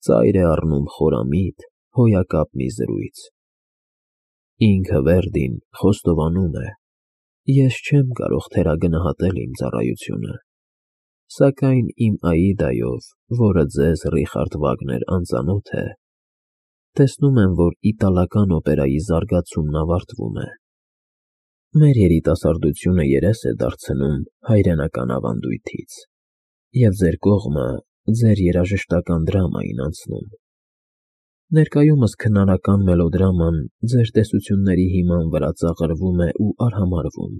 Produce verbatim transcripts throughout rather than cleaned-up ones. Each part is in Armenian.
ծայր է առնում խորամիտ, հոյակապ մի զրույց։ Ինքը Վերդին խոստովանում է. ես չեմ կարող թերագնահատել իմ ծառայությունը, սակայն իմ Աիդայով, որը ձեզ Ռիխարդ Վագներ անծանոթ է, տեսնում եմ, որ իտալական օպերայի զարգացումն ավարտվում է։ Մեր երիտասարդությունը երես է դարձնում հայրենական ավանդույթից, և ձեր կողմը ձեր երաժշտական դրամային անցնում։ Ներկայումս քնարական մելոդրաման ձեր տեսությունների հիման վրա ծաղրվում է ու արհամարհվում։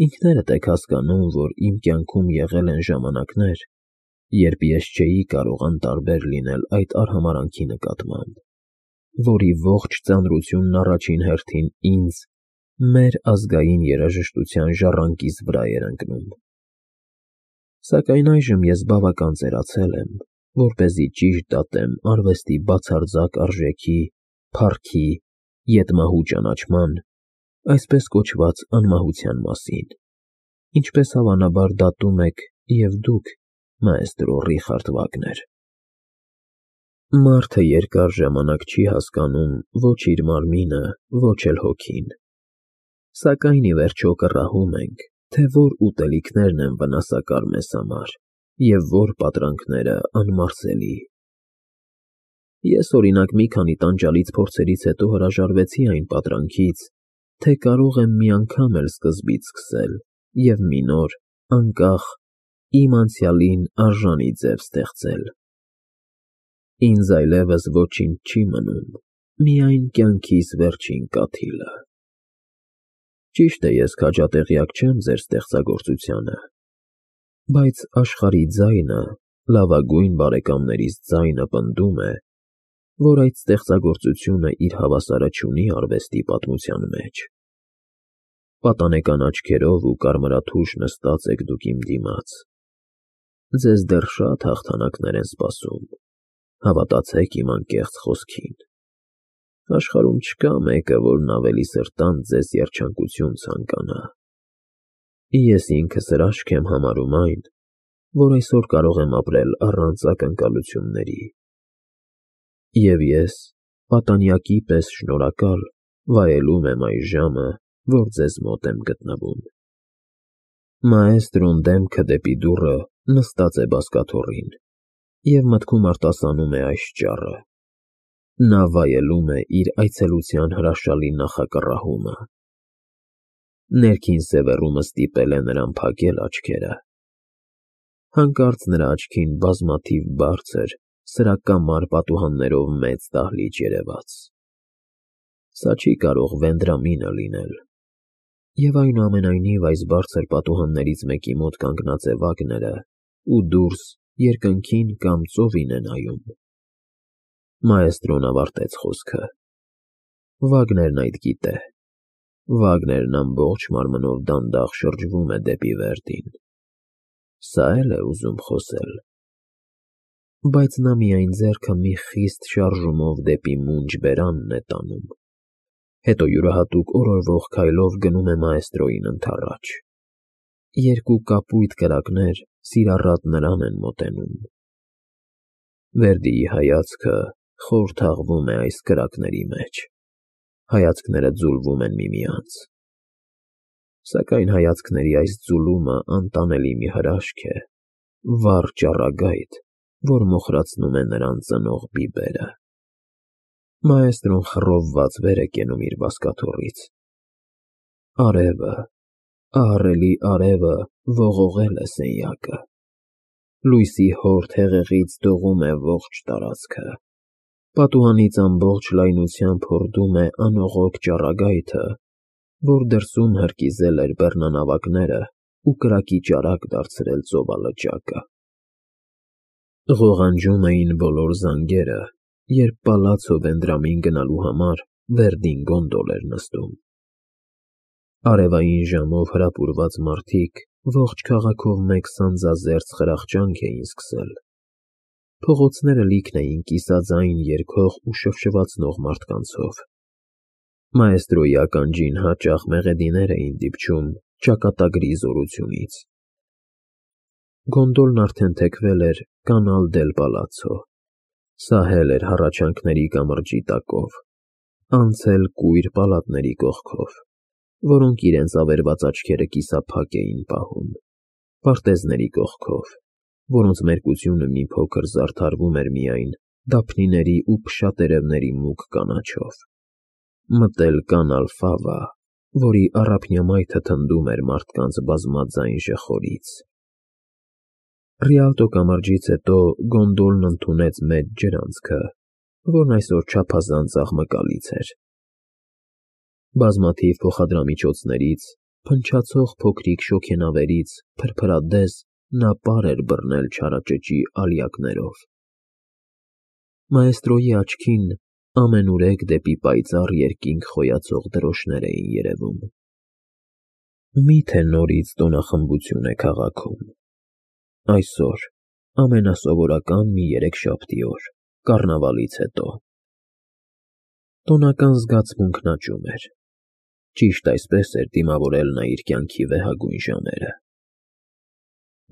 Ինքներդ եք հասկանում, որ իմ կյանքում եղել են ժամանակներ, երբ ես չէի կարող անտարբեր լինել այդ արհամարհանքի նկատմամբ, որի ողջ ծանրությունն առաջին հերթին ինձ, մեր ազգային երաժշտության ժառանգիս վրա էր ընկնում։ Սակայն այժմ ես բավական ծերացել եմ, որպեսզի ճիշտ դատեմ արվեստի բացարձակ արժեքի, փառքի, ետմահու ճանաչման, այսպես կոչված անմահության մասին, ինչպես հավանաբար դատում եք և դուք, մաեստրո Ռիխարդ Վագներ։ Մարդը երկար ժամանակ չի հասկանում ոչ իր մարմինը, ոչ էլ հոգին, սակայն ի վերջո կռահում ենք, թե որ ուտելիքներն են վնասակար մեզ համար և որ պատրանքները անմարսելի։ Ես, օրինակ, մի քանի տանջալից փորձերից հետո հրաժարվեցի այն պատրանքից, թե կարող եմ մի անգամ էլ սկզբից սկսել և մի նոր, անկախ, իմ անցյալին արժանի ձև ստեղծել։ Ինձ այլևս ոչինչ չի մնում, միայն կյանքիս վերջին կաթիլը։ Ճիշտ է, ես քաջատեղյակ չեմ ձեր ստեղծագործությանը, բայց աշխարհի ձայնը, լավագույն բարեկամներիս ձայնը պնդում է, որ այդ ստեղծագործությունը իր հավասարը չունի արվեստի պատմության մեջ։ Պատանեկան աչքերով ու կարմրաթուշ նստած եք դուք իմ դիմաց։ Ձեզ դեռ շատ հաղթանակներ են սպասում, հավատացեք իմ անկեղծ խոսքին։ Աշխարհում չկա մեկը, որն ավելի սրտանց ձեզ երջանկություն ցանկանա։ Ես ինքս հրաշք եմ համարում այն, որ այսօր կարող եմ ապրել առանց ակնկալությունների։ Եվ ես, պատանյակի պես շնորհակալ, վայելում եմ այս ժամը, որ ձեզ մոտ եմ գտնվում։ Մաեստրոն դեմքը դեպի դուռը նստած է բազկաթոռին և մտքում արտասանում է այս ճառը. նա վայելում է իր այցելության հրաշալի նախակռահումը։ Ներքին սևեռումը ստիպել է նրան փակել աչքերը։ Հանկարծ նրա աչքին բազմաթիվ բարձր, սրակամար պատուհաններով մեծ դահլիճ երևաց։ Սա չի կարող Վենդրամինը լինել։ Եվ այնուամենայնիվ այս բարձր պատուհաններից մեկի մոտ կանգնած է Վագները ու դուրս երկնքին կամ ծովին է նայում։ Մաեստրոն ավարտեց խոսքը։ Վագներն այդ գիտե։ Վագներն ամբողջ մարմնով դանդաղ շրջվում է դեպի Վերդին։ Սա էլ է ուզում խոսել։ Բայց նա միայն ձեռքը մի խիստ շարժումով դեպի մունջ բերանն է տանում, հետո յուրահատուկ օրորվող քայլով գնում է մաեստրոյին ընդառաջ։ Երկու կապույտ կրակներ սիրառատ նրան են մոտենում։ Վերդիի հայացքը խոր թաղվում է այս կրակների մեջ, հայացքները ձուլվում են միմյանց։ Սակայն հայացքների այս ձուլումը անտանելի մի հրաշք է, վառ ճառագայթ, որ մոխրացնում է նրան ծնող բիբերը։ Մաեստրոն խռովված վեր է կենում իր բազկաթոռից։ Արևը, ահռելի արևը ողողել է սենյակը։ Լույսի հորդ հեղեղից դողում է ողջ տարածքը։ Պատուհանից ամբողջ լայնությամբ հորդում է անողոք ճառագայթը, որ դրսում հրկիզել էր բեռնանավակները ու կրակի ճարակ դարձրել ծովալճակը։ Ղողանջում էին բոլոր զանգերը, երբ պալացո Վենդրամին գնալու համար Վերդին գոնդոլ էր նստում։ Արևային ժամով հրապուրված մարդիկ ողջ քաղաքով մեկ սանձազերծ խրախճանք էին սկսել։ Փողոցները լիքն էին կիսաձայն երգող ու շվշվացնող մարդկանցով։ Մաեստրոյի ականջին հաճախ մեղեդիներ էին դիպչում ճակատագրի զորությունից։ Գոնդոլն արդեն թեքվել էր Կանալ դել Պալացո, Սահել էր հառաչանքների կամրջի տակով, անցել կույր պալատների կողքով, որոնք իրենց ավերված աչքերը կիսափակ էին պահում, պարտեզների կողքով, որոնց մերկությունը մի փոքր զարդարվում էր միայն դափնիների ու փշատերևների մուգ կանաչով, մտել կանալ Ֆավա, որի առափնյա մայթը թնդում էր մարդկանց բազմաձայն ժխորից։ Ռիալտո կամրջից հետո գոնդոլն ընդունեց մեծ ջրանցքը, որն այսօր չափազանց աղմկալից էր։ Բազմաթիվ փոխադրամիջոցներից, փնչացող փոքրիկ շոգենավերից փրփրադես նա պար էր բռնել չարաճճի ալյակներով։ Մաեստրոյի աչքին ամենուրեք դեպի պայծառ երկինք խոյացող դրոշներ էին երևում։ Մի՞թե նորից տոնախմբություն է քաղաքում։ Այսօր, ամենասովորական մի երեքշաբթի օր, կառնավալից հետո։ Տոնական զգացմունքն աճում էր։ Ճիշտ այսպես էր դիմավորել նա իր կյանքի վեհագույն ժամերը։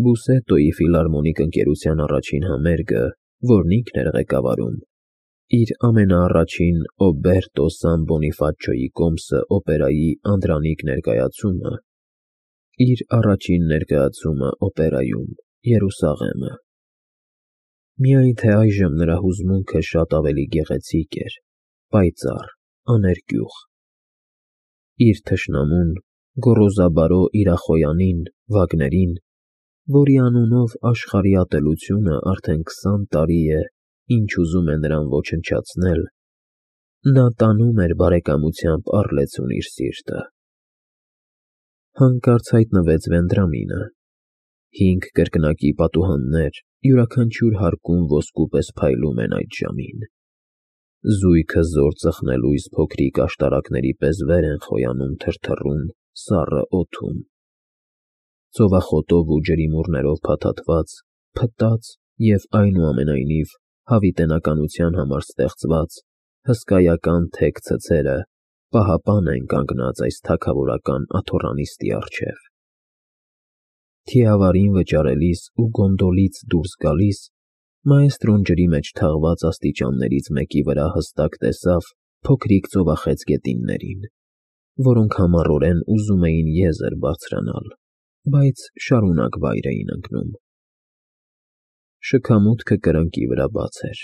Բուսետոյի ֆիլհարմոնիկ ընկերության առաջին համերգը, որն ինքն էր ղեկավարում, իր ամենաառաջին Օբերտո Սան֊Բոնիֆացիոյի կոմսը օպերայի անդրանիկ ներկայացումը, իր առաջին ներկայացումը օպերայում, Երուսաղեմը։ Միայն թե այժմ նրա հուզմունքը շատ ավելի գեղեցիկ էր, պայծառ, աներկյուղ։ Իր թշնամուն, գոռոզաբարո Իրախոյանին, Վագներին, որի անունով աշխարհի ատելությունը արդեն քսան տարի է, ինչ ուզում է նրան ոչնչացնել, նա տանում էր բարեկամությամբ առլեցուն իր սիրտը։ Հանկարծ հայտնվեց Վենդրամինը։ Հինգ կրկնակի պատուհաններ յուրաքանչյուր հարկում ոսկու պես փայլում են այդ ժամին։ Զույգը զոր ծխնելույս փոքրիկ աշտարակների պես վեր են խոյանում թրթռուն, սառը օդում։ Ծովախոտով ու ջրիմուռներով փաթաթված, փտած և այնուամենայնիվ հավիտենականության համար ստեղծված հսկայական թեք ցցերը պահապան են կանգնած այս թագավորական աթոռանիստի առջև։ Թիավարին վճարելիս ու գոնդոլից դուրս գալիս, մաեստրոն ջրի մեջ թաղված աստիճաններից մեկի վրա հստակ տեսավ փոքրիկ ծովախեց գետիններին, որոնք համառորեն ուզում էին եզր բարձրանալ, բայց շարունակ վայր էին ընկնում։ Շքամուտքը կրկնակի վրա բաց էր։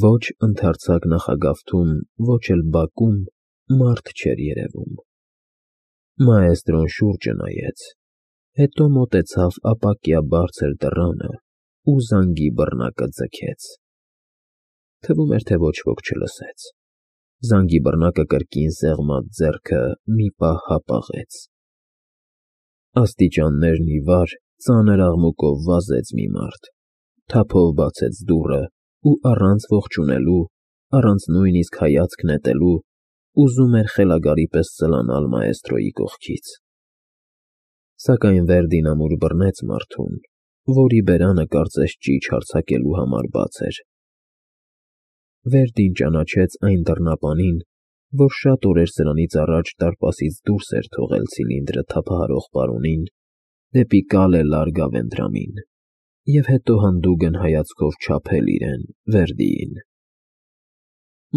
Ոչ ընդարձակ նախագավթում, ոչ էլ բակում մարդ չէր երևում։ Մաեստրոն շուրջը նայեց, հետո մոտեցավ ապակյա բարձր դռանը ու զանգի բռնակը ձգեց։ Թվում էր, թե ոչ ոք չլսեց։ Զանգի բռնակը կրկին սեղմած ձեռքը մի պահ հապաղեց։ Աստիճաններն ի վար ծանր աղմուկով վազեց մի մարդ, թափով բացեց դուռը ու առանց ողջունելու, առանց նույնիսկ հայացք նետելու, ուզում էր խելագարի պես ծլանալ մաեստրոյի կողքից։ Սակայն Վերդին ամուր բռնեց մարդուն, որի բերանը կարծես ճիչ հարձակելու համար բաց էր։ Վերդին ճանաչեց այն դռնապանին, որ շատ օրեր սրանից առաջ դարպասից դուրս էր թողել ցիլինդրը թափահարող պարոնին դեպի Կալե Լարգա Վենդրամին և հետո հանդուգն հայացքով չափել իրեն՝ Վերդիին։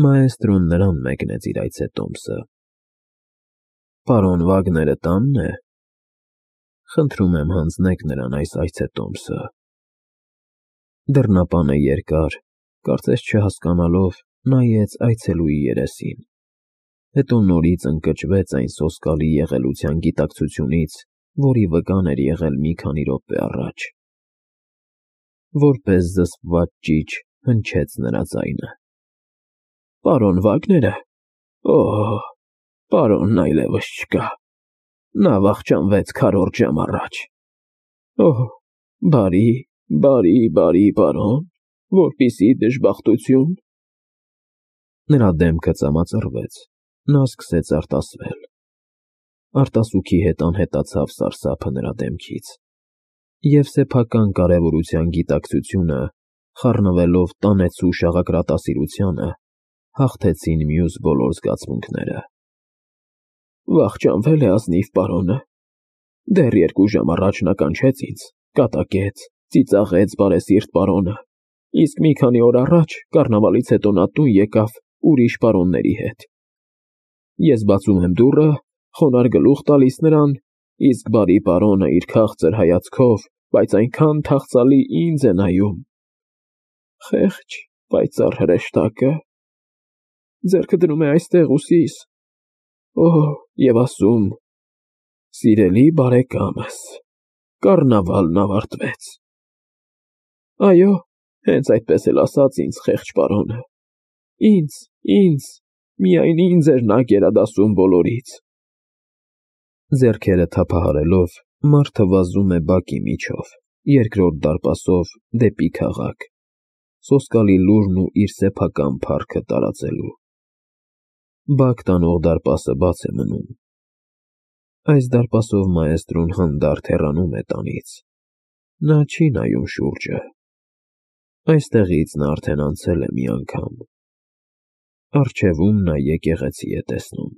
Մաեստրոն նրան մեկնեց իր այցետոմսը։ Պարոն Վագները տա՞նն է։ Խնդրում եմ հանձնեք նրան այս այցետոմսը։ Դռնապանը երկար, կարծես չհասկանալով, նայեց այցելուի երեսին, հետո նորից ընկճվեց այն սոսկալի եղելության գիտակցությունից, որի վկան էր եղել մի քանի րոպե առաջ։ Որպես զսպված ճիչ հնչեց նրա ձայնը։ Պարոն Վագները։ Օհ, պարոնն այլևս չկա։ Նա վախճանվեց քառորդ ժամ առաջ։ Օհ, բարի, բարի, բարի պարոն, որպիսի դժբախտություն։ Նրա դեմքը ծամածռվեց, նա սկսեց արտասվել։ Արտասուքի հետ անհետացավ սարսափը նրա դեմքից, և սեփական կարևորության գիտակցությունը, խառնվելով տանեցու շաղակրատասիրությանը, հաղթեցին մյուս բոլոր զգացմունքները։ Վախճանվել է ազնիվ պարոնը։ Դեռ երկու ժամ առաջ նա կանչեց ինձ, կատակեց, ծիծաղեց բարեսիրտ պարոնը, Իսկ մի քանի օր առաջ կառնավալից հետո նա տուն եկավ ուրիշ պարոնների հետ։ Ես բացում եմ դուռը, խոնարհ գլուխ տալիս նրան, իսկ բարի պարոնը իր քաղցր հայացքով, բայց այնքան թախծալի ինձ է նայում։ Խեղճ, պայծառ հրեշտակը ձեռքը դնում է այստեղ ուսիս։ Օհ, եւ ասում. «Սիրելի բարեկամս, կառնավալն ավարտվեց»։ Այո, հենց այդպես էլ ասաց ինձ խեղճ պարոնը։ Ինձ, ինձ, միայն ինձ էր նա գերադասում բոլորից։ Ձեռքերը թափահարելով, մարդը վազում է բակի միջով, երկրորդ դարպասով դեպի քաղաք, սոսկալի լուրն ու իր սեփական փառքը տարածելու։ Բակ տանող դարպասը բաց է մնում։ Այս դարպասով մաեստրոն հանդարտ հեռանում է տանից։ Նա չի նայում շուրջը։ Այստեղից նա արդեն անցել է մի անգամ։ Առջևում նա եկեղեցի է տեսնում։